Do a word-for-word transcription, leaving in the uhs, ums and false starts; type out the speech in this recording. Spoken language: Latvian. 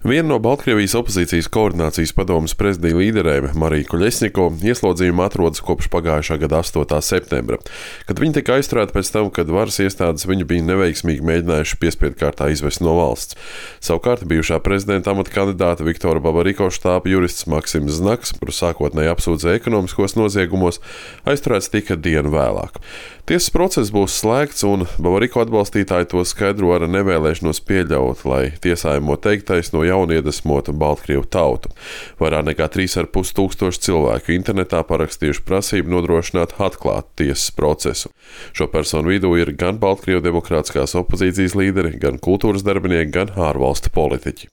Viena no Baltkrievijas opozīcijas koordinācijas padomes prezidija līderēm, Marija Koļesņiko, ieslodzījumā atrodas kopš pagājušā gada astotā septembra, kad viņa tika aizturēta pēc tam, kad varas iestādes viņu bija neveiksmīgi mēģinājuši piespiedu kārtā izvest no valsts. Savukārt bijušā prezidenta amata kandidāta Viktora Babariko štāba jurists Maksims Znaks, kuru sākotnēji apsūdzēja ekonomiskos noziegumos, aizturēts tika dienu vēlāk. Tiesas process būs slēgts, un Babariko atbalstītāji to skaidro ar nevēlēšanos pieļaut, lai tiesājamo teiktais no jauna iedvesmotu Baltkrievu tautu. Vairāk nekā trīs ar pus tūkstoši cilvēku internetā parakstījuši prasību nodrošināt atklātu tiesas procesu. Šo personu vidū ir gan Baltkrievu demokrātiskās opozīcijas līderi, gan kultūras darbinieki, gan ārvalstu politiķi.